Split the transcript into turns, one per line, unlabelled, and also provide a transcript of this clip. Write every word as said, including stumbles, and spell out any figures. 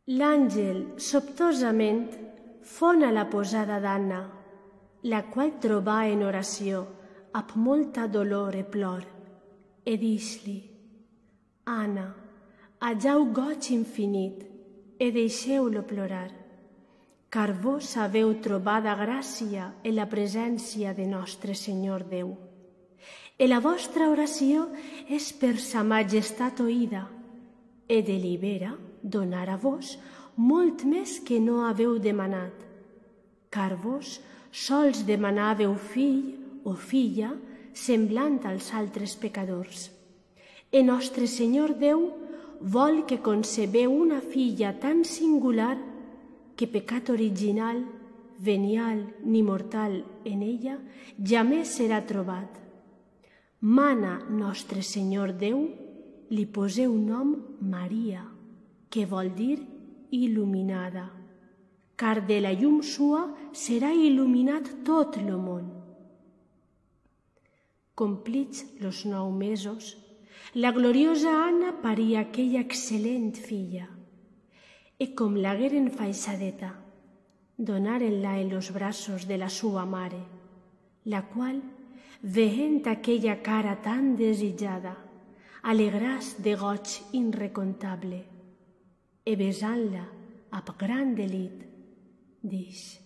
L'àngel sobtosament fon a la posada d'Anna, la qual trobà en oració amb molta dolor e plor, e dix-li: Anna, hageu goig infinit, e deixeu-lo plorar, car vos haveu trobada gràcia en la presència de nostre Senyor Déu. E la vostra oració és per sa majestat oïda, e delibera donar a vos molt més que no haveu demanat, car vos sols demanàveu fill o filla semblant als altres pecadors. E nostre Senyor Déu vol que concebeu una filla tan singular que pecat original, venial ni mortal en ella jamés serà trobat. Mana nostre Senyor Déu li poseu nom Maria, que vol dir il·luminada, car de la llum sua serà il·luminat tot lo món. Complits los nou mesos, la gloriosa Anna parí aquella excel·lent filla, e com l'hagueren faixadeta, donaren-la en los braços de la sua mare, la qual, veient aquella cara tan desitjada, alegràs de goig inrecontable, e besant-la amb gran delit, dix: